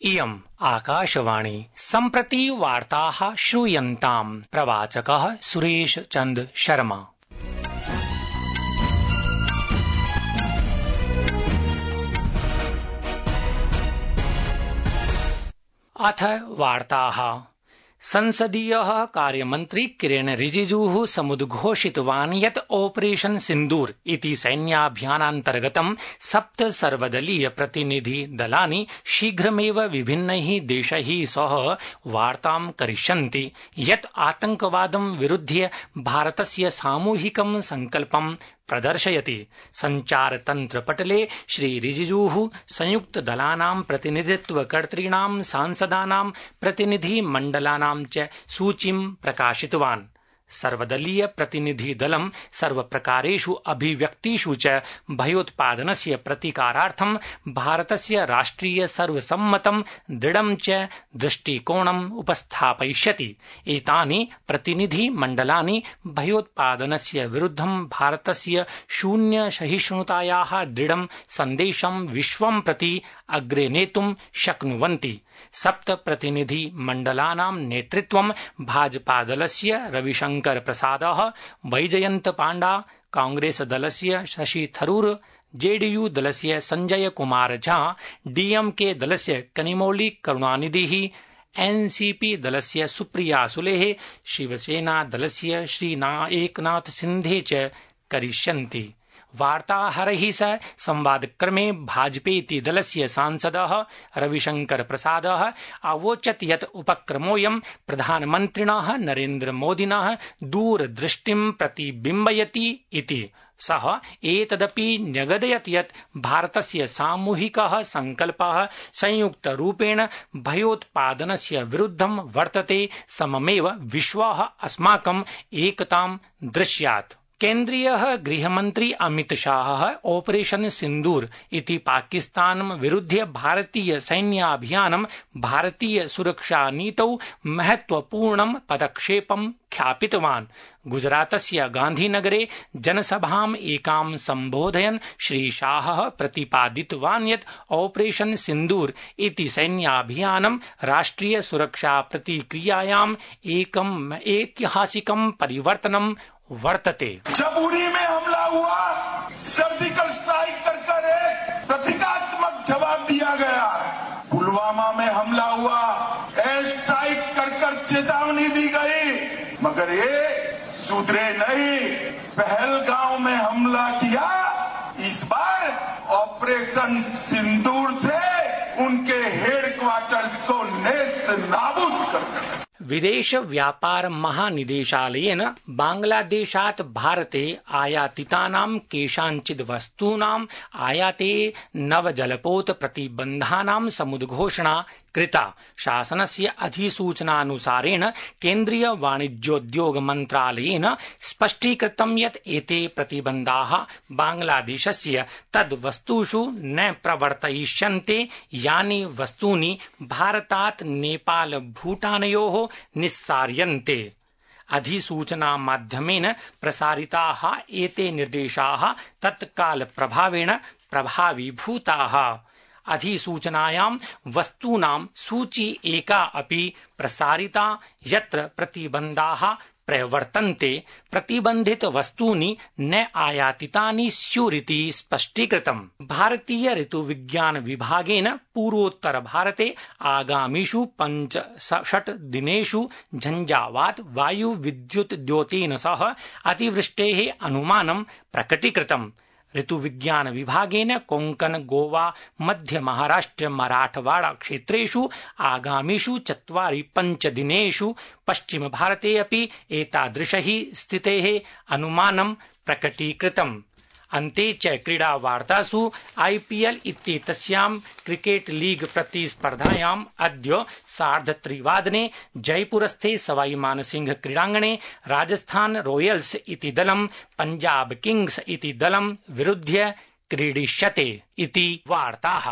इयम् आकाशवाणी सम्प्रति वार्ताः श्रूयन्ताम्। प्रवाचकः सुरेश चन्द्र शर्मा। अथ वार्ताः। संसदीयः कार्यमन्त्री किरेन रिजिजूः समुद्घोषितवान् यत् ऑपरेशन सिन्दूर इति सैन्याभियानान्तर्गतं 7 सर्वदलीय प्रतिनिधि दलानि शीघ्रमेव विभिन्नैः देशैः सह वार्तां करिष्यन्ति यत् आतंकवादं विरुध्य भारतस्य सामूहिकं संकल्पं प्रदर्शयति। संचारतन्त्रपटले श्री रिजिजूः संयुक्तदलानां प्रतिनिधित्वकर्तॄणां सांसदानां प्रतिनिधिमण्डलानां च सूचीं प्रकाशितवान्। सर्वदलीय प्रतिनिधि दलं सर्वप्रकारेषु अभिव्यक्तिषु च भयोत्पादनस्य प्रतिकारार्थं भारतस्य राष्ट्रिय सर्वसम्मतं दृढं च दृष्टिकोणम् उपस्थापयिष्यति। एतानि प्रतिनिधिमण्डलानि भयोत्पादनस्य विरुद्धं भारतस्य शून्य सहिष्णुतायाः दृढं सन्देशं विश्वं प्रति अग्रे नेतुं शक्नुवन्ति। 7 प्रतिनिधिमण्डलानां नेतृत्वं भाजपादलस्य रविशंकर प्रसादः, वैजयन्त पाण्डा, कांग्रेसदलस्य शशि थरूर, जेडीयू दलस्य संजय कुमार झा, डीएमके दलस्य कनिमोली करुणानिधिः, एनसीपी दलस्य सुप्रिया सुलेः, शिवसेना दलस्य श्री एकनाथ सिन्धे च करिष्यन्ति। वार्ताहरैः सह संवादक्रमे भाजपेति दलस्य सांसदः रविशंकर प्रसादः अवोचत् यत् उपक्रमोऽयं प्रधानमन्त्रिणः नरेन्द्रमोदिनः दूरदृष्टिं प्रतिबिम्बयति इति। सः एतदपि न्यगदयत् यत् भारतस्य सामूहिकः संकल्पः संयुक्तरूपेण भयोत्पादनस्य विरुद्धं वर्तते, सममेव विश्वः अस्माकम् एकतां दृश्यात्। केन्द्रीयः गृहमन्त्री अमित शाहः ऑपरेशन सिन्दूर इति पाकिस्तानं विरुध्य भारतीय सैन्याभियानं भारतीय सुरक्षानीतौ महत्वपूर्णं पदक्षेपं ख्यापितवान्। गुजरातस्य गान्धीनगरे जनसभाम् एकां सम्बोधयन् श्री शाहः प्रतिपादितवान् यत् ऑपरेशन सिन्दूर इति सैन्याभियानं राष्ट्रिय सुरक्षा प्रतिक्रियायाम् एकम् ऐतिहासिकं परिवर्तनं वर्तते। जब उरी में हमला हुआ, सर्जिकल स्ट्राइक कर एक प्रतीकात्मक जवाब दिया गया। पुलवामा में हमला हुआ, एयर स्ट्राइक कर चेतावनी दी गई, मगर ये सुधरे नहीं। पहलगांव में हमला किया, इस बार ऑपरेशन सिंदूर से उनके हेडक्वार्टर्स को नेस्त नाबूद कर दिया। विदेश व्यापार महानिदेशालयेन बांग्लादेशात् भारते आयातितानां केषाञ्चित् वस्तूनाम् आयाते नवजलपोत प्रतिबन्धानां समुद्घोषणा कृता। शासनस्य अधिसूचनानुसारेण केन्द्रीय वाणिज्योद्योग मन्त्रालयेन स्पष्टीकृतं यत् एते प्रतिबन्धाः बांग्लादेशस्य तद्वस्तुषु न प्रवर्तयिष्यन्ते यानि वस्तूनि भारतात् नेपाल भूटानयोः निस्सार्यन्ते। अधिसूचनामाध्यमेन प्रसारिताः एते निर्देशाः तत्कालप्रभावेण प्रभावीभूताः। अधिसूचनायां वस्तूनां सूची एका अपि प्रसारिता यत्र प्रतिबन्धाः प्रवर्तन्ते। प्रतिबन्धित वस्तूनि न आयातितानि स्युरिति स्पष्टीकृतम्। भारतीय ऋतुविज्ञान विभागेन पूर्वोत्तर भारते आगामिषु 5-6 दिनेषु झंझावात वायु विद्युत द्योतेन सह अतिवृष्टेः अनुमानं प्रकटीकृतम्। ऋतुविज्ञान विभागेन कोंकण, गोवा, मध्य महाराष्ट्र, मराठवाड़ा क्षेत्रेषु आगामिषु 4-5 दिनेषु पश्चिम भारते अपि एतादृशैः स्थितेः अनुमानं प्रकटीकृतम्। अन्ते च क्रीडा वार्तासु आईपीएल इत्येतस्यां क्रिकेट लीग प्रतिस्पर्धायाम् अद्य 3:30 जयपुरस्थे सवाई मानसिंह क्रीडाङ्गणे राजस्थान रॉयल्स इति दलं पंजाब किंग्स इति दलं विरुध्य क्रीडिष्यते इति वार्ताः।